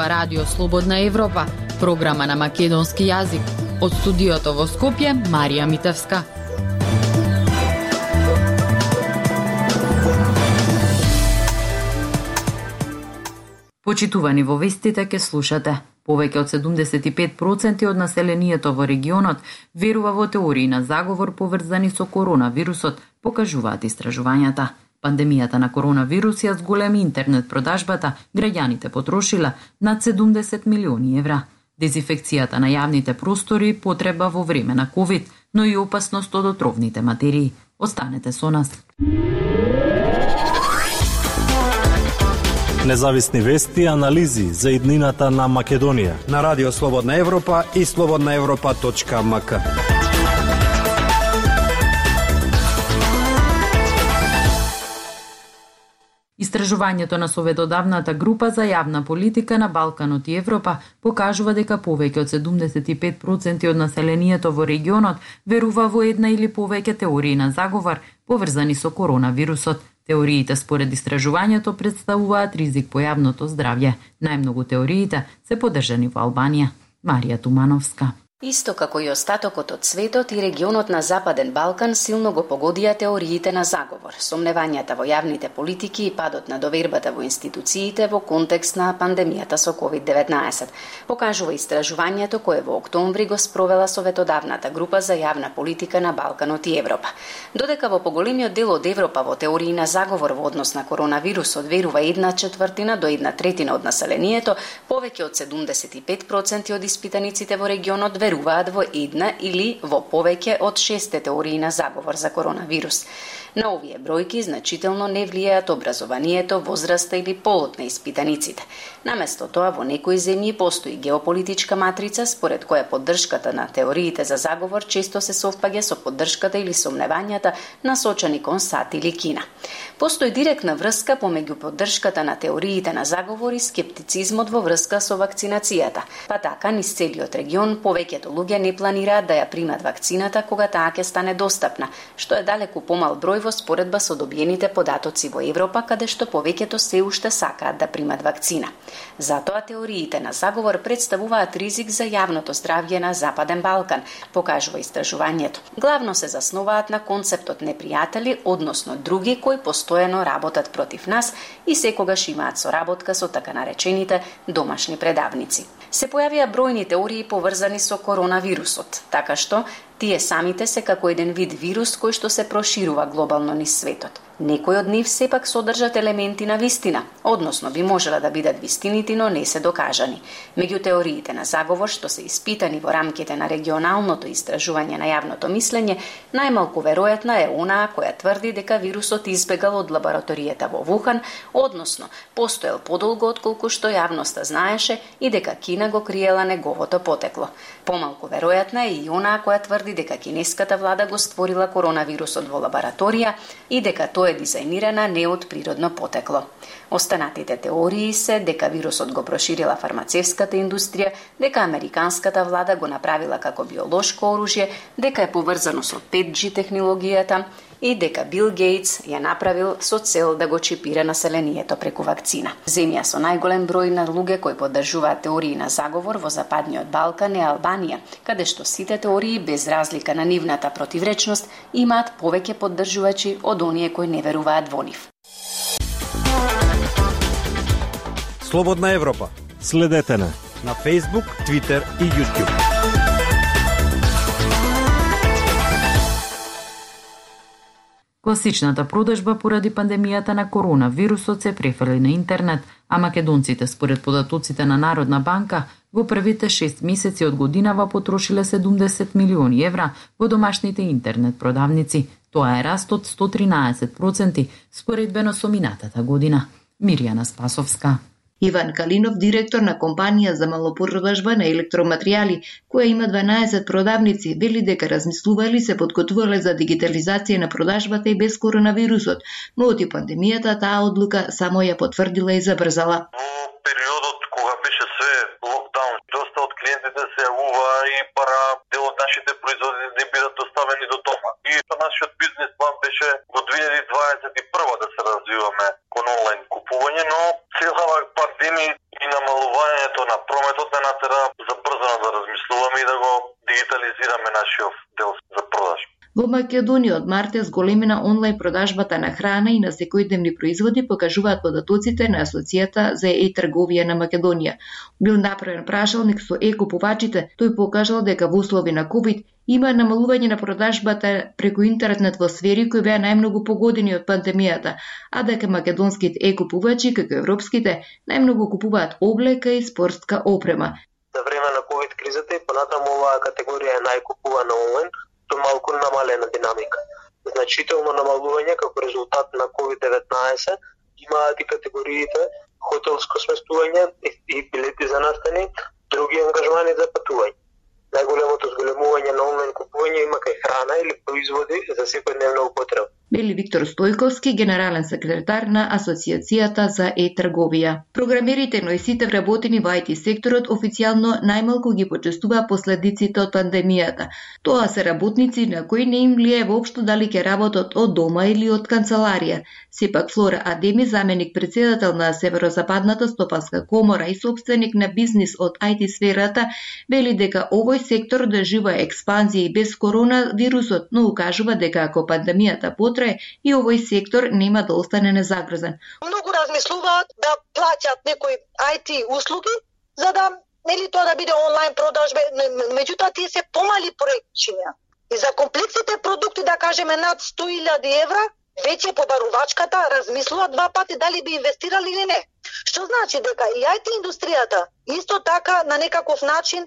зборува Радио Слободна Европа, програма на македонски јазик. Од студиото во Скопје, Марија Митевска. Почитувани, во вестите ке слушате. Повеќе од 75% од населението во регионот верува во теории на заговор поврзани со коронавирусот, покажуваат истражувањата. Пандемијата на коронавирус ја зголеми интернет продажбата, граѓаните потрошила над 70 милиони евра. Дезинфекцијата на јавните простори потреба во време на ковид, но и опасност од отровните материи. Останете со нас. Независни вести и анализи за иднината на Македонија на Радио Слободна Европа и slobodnaevropa.mk. Истражувањето на советодавната група за јавна политика на Балканот и Европа покажува дека повеќе од 75% од населението во регионот верува во една или повеќе теории на заговор поврзани со коронавирусот. Теориите според истражувањето представуваат ризик по јавното здравје. Најмногу теориите се поддржани во Албанија. Марија Тумановска. Исто како и остатокот од светот, и регионот на Западен Балкан силно го погодија теориите на заговор, сомневањата во јавните политики и падот на довербата во институциите во контекст на пандемијата со COVID-19. Покажува истражувањето кое во октомври го спровела советодавната група за јавна политика на Балканот и Европа. Додека во поголемиот дел од Европа во теории на заговор во однос на коронавирусот верува 1/4 до 1/3 од населението, повеќе од 75% од испитаниците во регионот веруваат во една или во повеќе од 6 теории на заговор за коронавирус. На овие бројки значително не влијаат образованието, возраста или полот на испитаниците. Наместо тоа, во некои земји постои геополитичка матрица според која поддршката на теориите за заговор често се совпаѓа со поддршката или сомневањата насочени кон САД или Кина. Постои директна врска помеѓу поддршката на теориите на заговор и скептицизмот во врска со вакцинацијата. Па така, низ целиот регион повеќето луѓе не планираат да ја примат вакцината кога таа ќе стане достапна, што е далеку помал број во споредба со добиените податоци во Европа, каде што повеќето се уште сакаат да примат вакцина. Затоа теориите на заговор представуваат ризик за јавното здравје на Западен Балкан, покажува истражувањето. Главно се засноваат на концептот непријатели, односно други кои постојано работат против нас и секогаш имаат соработка со така наречените домашни предавници. Се појавија бројни теории поврзани со коронавирусот, така што тие самите се како еден вид вирус кој што се проширува глобално низ светот. Некои од нив сепак содржат елементи на вистина, односно би можела да бидат вистините, но не се докажани. Меѓу теориите на заговор што се испитани во рамките на регионалното истражување на јавното мислење, најмалку веројатна е онаа која тврди дека вирусот избегал од лабораторијата во Вухан, односно постоел подолго отколку што јавноста знаеше и дека Кина го криела неговото потекло. Помалку веројатна е и онаа која тврди дека кинеската влада го створила коронавирусот во лабораторија и дека тоа е дизајнирана не од природно потекло. Останатите теории се дека вирусот го проширила фармацевската индустрија, дека американската влада го направила како биолошко оружје, дека е поврзано со 5G технологијата и дека Бил Гейтс ја направил со цел да го чипира населението преку вакцина. Земја со најголем број на луѓе кои поддржуваат теории на заговор во Западниот Балкан е Албанија, каде што сите теории без разлика на нивната противречност имаат повеќе поддржувачи од оние кои не веруваат во нив. Слободна Европа. Следете на Facebook, Twitter и YouTube. Класичната продажба поради пандемијата на коронавирусот се префрли на интернет, а македонците според податоците на Народна банка во првите 6 месеци од годинава потрошиле 70 милиони евра во домашните интернет продавници. Тоа е раст од 113% споредбено со минатата година. Мирјана Спасовска. Иван Калинов, директор на компанија за малопродажба на електроматеријали, која има 12 продавници, вели дека размислували се подготвувале за дигитализација на продажбата и без коронавирусот, но од пандемијата таа одлука само ја потврдила и забрзала. Во периодот кога беше све локдаун, доста од клиентите се јавува и пара дел од нашите производи не бидат доставени до дома. И нашиот бизнес план беше во 2021 да се развиваме кон онлайн купување, но целава пандемија и намалување Отворањето на прометот не натера забрзано да размислуваме и да го дигитализираме нашиот дел за продажба. Во Македонија од март е зголемена онлайн продажбата на храна и на секојдневни производи, покажуваат податоците на Асоцијата за e-трговија на Македонија. Бил направен прашалник со e-купувачите, тој покажал дека во услови на ковид има намалување на продажбата преку интернет во сфери кои беа најмногу погодени од пандемијата, а дека македонските e-купувачи, како европските, најмногу купуваат облека и спортска опрема. За време на ковид кризата и понатаму оваа категорија е најкупувана онлайн, со малку намалена динамика. Значително намалување како резултат на COVID-19 имаат и категориите хотелско сместување и билети за настани, други ангажмани за патување. Најголемото зголемување на онлайн купување има кај храна или производи за секојдневна употреба. Вели Виктор Стојковски, генерален секретар на Асоцијацијата за e-трговија. Програмерите, но и сите вработени во IT секторот официјално најмалку ги почестуваа последиците од пандемијата. Тоа се работници на кои не им влијае воопшто дали ќе работат од дома или од канцеларија. Сепак Флора Адеми, заменик председател на Северозападната стопанска комора и собственик на бизнис од IT сферата, вели дека овој сектор доживува експанзија и без коронавирусот, но укажува дека ако пандемијата потрае и овој сектор нема да остане незагрозен. Многу размислуваат да плаќат некои IT услуги за да нели тоа да биде онлайн продажба, меѓутоа тие се помали поречиња. И за комплексните продукти, да кажеме над 100.000 евра, веќе побарувачката размислуваат два пати дали би инвестирали или не. Што значи дека и IT индустријата исто така на некаков начин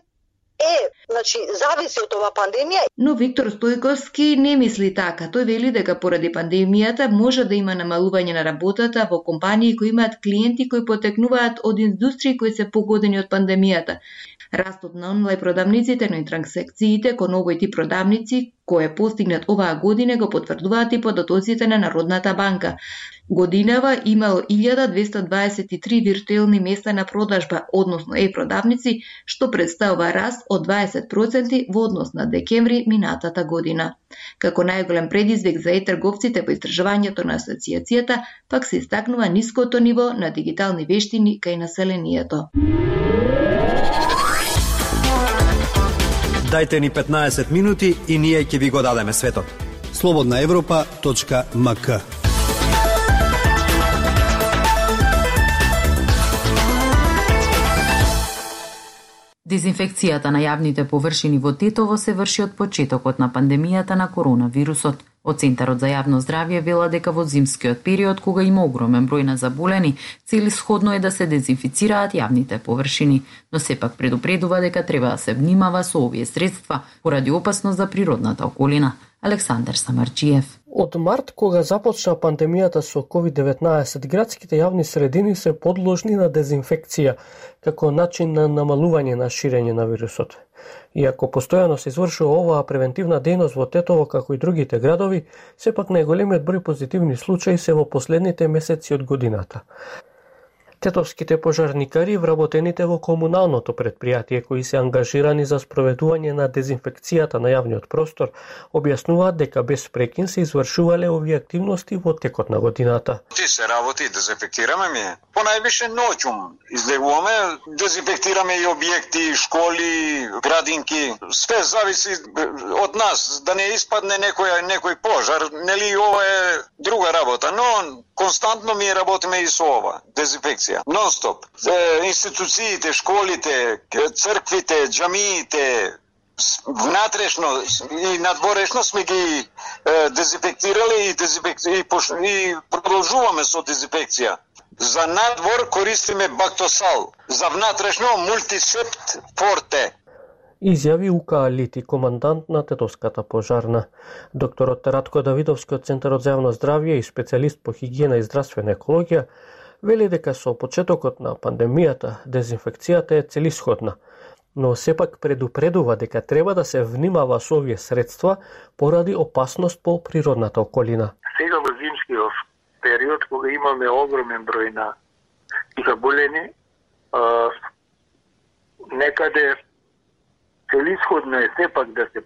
зависи од оваа пандемија. Но Виктор Стојковски не мисли така. Тој вели дека поради пандемијата може да има намалување на работата во компании кои имаат клиенти кои потекнуваат од индустрии кои се погодени од пандемијата. Растот на онлайн продавниците, но и транзакциите кон овој тип продавници, кој е постигнат оваа година, го потврдуваат и податоците на Народната банка. Годинава имало 1223 виртуелни места на продажба, односно e-продавници, што представува раст од 20% во однос на декември минатата година. Како најголем предизвик за e-трговците во истражувањето на асоцијацијата, пак се истакнува ниското ниво на дигитални вештини кај населението. Дајте ни 15 минути и ние ќе ви го дадеме светот. slobodnaevropa.mk. Дезинфекцијата на јавните површини во Тетово се врши од почетокот на пандемијата на коронавирусот. Од Центарот за јавно здравје вела дека во зимскиот период, кога има огромен број на заболени, целисходно е да се дезинфицираат јавните површини, но сепак предупредува дека треба да се внимава со овие средства поради опасност за природната околина. Александар Самарчиев. Од март, кога започна пандемијата со COVID-19, градските јавни средини се подложни на дезинфекција како начин на намалување на ширење на вирусот. Иако постојано се извршува оваа превентивна дејност во Тетово како и другите градови, сепак најголемиот број позитивни случаи се во последните месеци од годината. Тетовските пожарникари, вработените во комуналното предпријатие кои се ангажирани за спроведување на дезинфекцијата на јавниот простор, објаснуваат дека без прекин се извршувале овие активности во текот на годината. Ти се работи, дезинфектираме ми. Понајвише ноќум излегуваме, дезинфектираме и објекти, школи, градинки. Све зависи од нас, да не испадне некој пожар, нели ова е друга работа, но константно ми работиме и со ова, дезинфекција. Нон-стоп. Институциите, школите, црквите, џамиите, внатрешно и надворешно сме ги дезинфектирали и продолжуваме со дезинфекција. За надвор користиме Бактосал, за внатрешно Мултисепт Форте. Изјави Ука Алити, командант на Тетовската пожарна. Докторот Радко Давидовски од Центарот за јавно здравје и специјалист по хигиена и здравствена екологија вели дека со почетокот на пандемијата дезинфекцијата е целисходна, но сепак предупредува дека треба да се внимава со овие средства поради опасност по природната околина. Сега во зимскиот период, кога имаме огромен број на заболени, некаде целисходно е сепак да се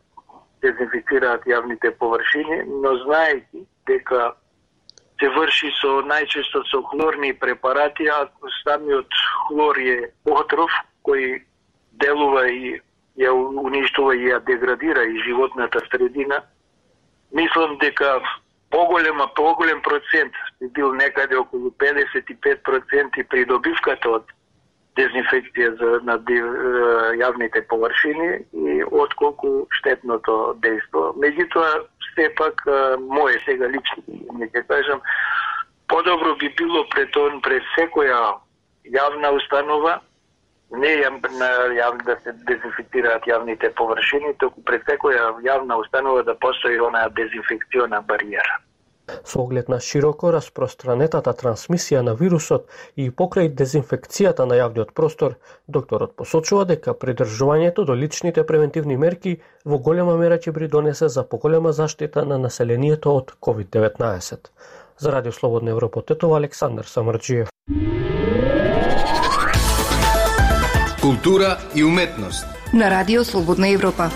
дезинфицираат јавните површини, но знаејќи дека се врши најчесто со хлорни препарати, а самиот хлор е отров кој делува и ја уништува и ја деградира и животната средина. Мислам дека поголем процент би бил некаде околу 55% при добивката од дезинфекција на јавните површини и отколку штетното дејство. Меѓутоа, сепак, моје сега лично, ќе кажам, подобро би било пред секоја јавна установа, не да се дезинфектираат јавните површини, току пред секоја јавна установа да постои онаа дезинфекциона бариера. Со оглед на широко распространетата трансмисија на вирусот и покрај дезинфекцијата на јавниот простор, докторот посочува дека придржувањето до личните превентивни мерки во голема мера ќе придонесе за поголема заштита на населението од COVID-19. За Радио Слободна Европа Тетово, Александар Самарџиев. Култура и уметност на Радио Слободна Европа.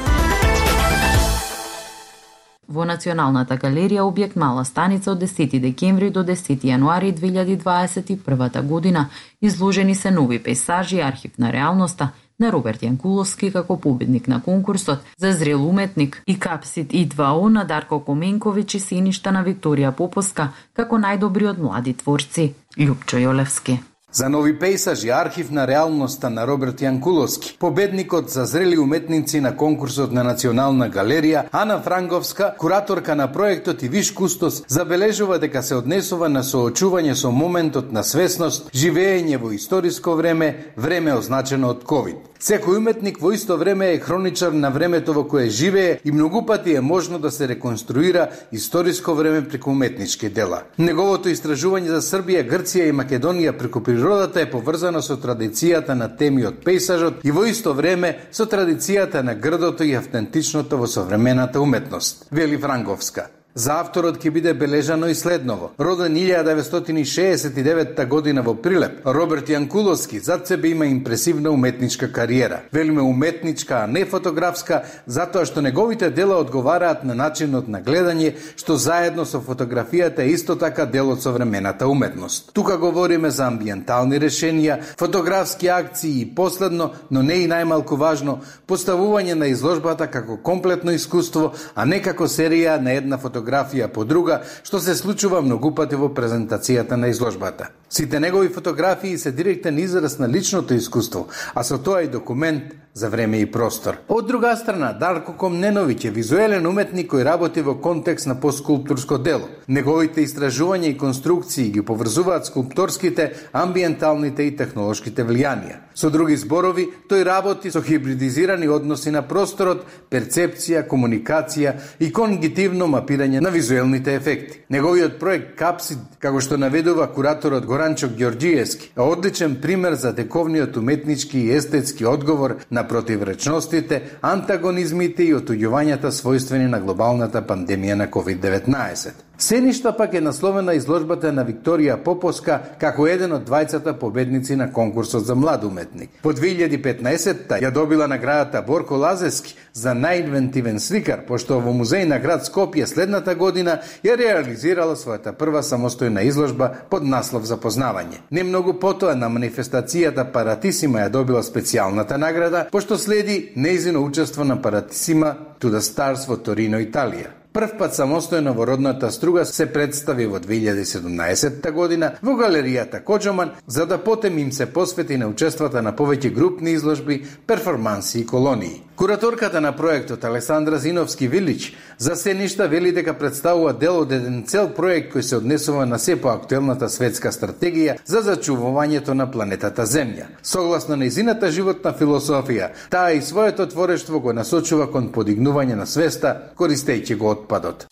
Во Националната галерија објект Мала станица од 10 декември до 10 јануари 2021 година изложени се нови пейсажи и архив на реалноста на Роберт Јанкуловски како победник на конкурсот за зрел уметник и Капсид И2О на Дарко Коменковиќ и Синишта на Викторија Поповска како најдобриот млади творци. Љупчо Јолевски. За нови пейсажи архив на реалноста на Роберт Јанкуловски, победникот за зрели уметници на конкурсот на Национална галерија, Ана Франговска, кураторка на проектот и виш кустос, забележува дека се однесува на соочување со моментот на свесност, живеење во историско време, време означено од ковид. Секој уметник во исто време е хроничар на времето во кое живее и многу пати е можно да се реконструира историско време преку уметнички дела. Неговото истражување за Србија, Грција и Македонија преку природата е поврзано со традицијата на теми од пейсажот и во исто време со традицијата на грдото и автентичното во современата уметност, вели Франговска. За авторот ќе биде бележано и следново. Роден 1969 година во Прилеп, Роберт Јанкуловски зад себе има импресивна уметничка кариера. Велиме уметничка, а не фотографска, затоа што неговите дела одговараат на начинот на гледање, што заедно со фотографијата е исто така дел од современата уметност. Тука говориме за амбиентални решенија, фотографски акции и последно, но не и најмалку важно, поставување на изложбата како комплетно искуство, а не како серија на една фотографија по друга, што се случува многу пати во презентацијата на изложбата. Сите негови фотографии се директен израз на личното искуство, а со тоа и документ за време и простор. Од друга страна, Дарко Комненовиќ е визуелен уметник кој работи во контекст на постскулптурско дело. Неговите истражувања и конструкции ги поврзуваат скулпторските, амбиенталните и технолошките влијанија. Со други зборови, тој работи со хибридизирани односи на просторот, перцепција, комуникација и конгитивно мапирање на визуелните ефекти. Неговиот проект Капсид, како што наведува кураторот Горанчо Ѓорѓиевски, е одличен пример за тековниот уметнички и естетски одговор на противречностите, антагонизмите и отуѓувањата својствени на глобалната пандемија на COVID-19. Сеништа пак е насловена изложбата на Викторија Поповска како еден од двајцата победници на конкурсот за млад уметник. Во 2015-та ја добила наградата Борко Лазевски за најинвентивен сликар, пошто во музеј на град Скопје следната година ја реализирала својата прва самостојна изложба под наслов Запознавање. Не многу потоа на манифестацијата Паратисима ја добила специјалната награда, пошто следи нејзино учество на Паратисима to the Stars во Торино, Италија. Прв пат самостојно во родната Струга се представи во 2017 година во галеријата Коџоман, за да потем им се посвети на учествата на повеќе групни изложби, перформанси и колонии. Кураторката на проектот Александра Зиновски-Вилич за Сеништа вели дека представува дел од еден цел проект кој се однесува на се поактуелната светска стратегија за зачувувањето на планетата Земја. Согласно нејзината животна философија, таа и своето творештво го насочува кон подигнување на свеста, користејќи го отпадот.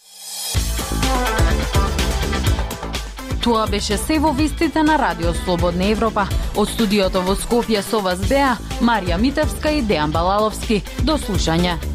Тоа беше се во вестите на Радио Слободна Европа. Од студиото во Скопје со вас беа Марија Митевска и Дејан Балаловски. До слушање.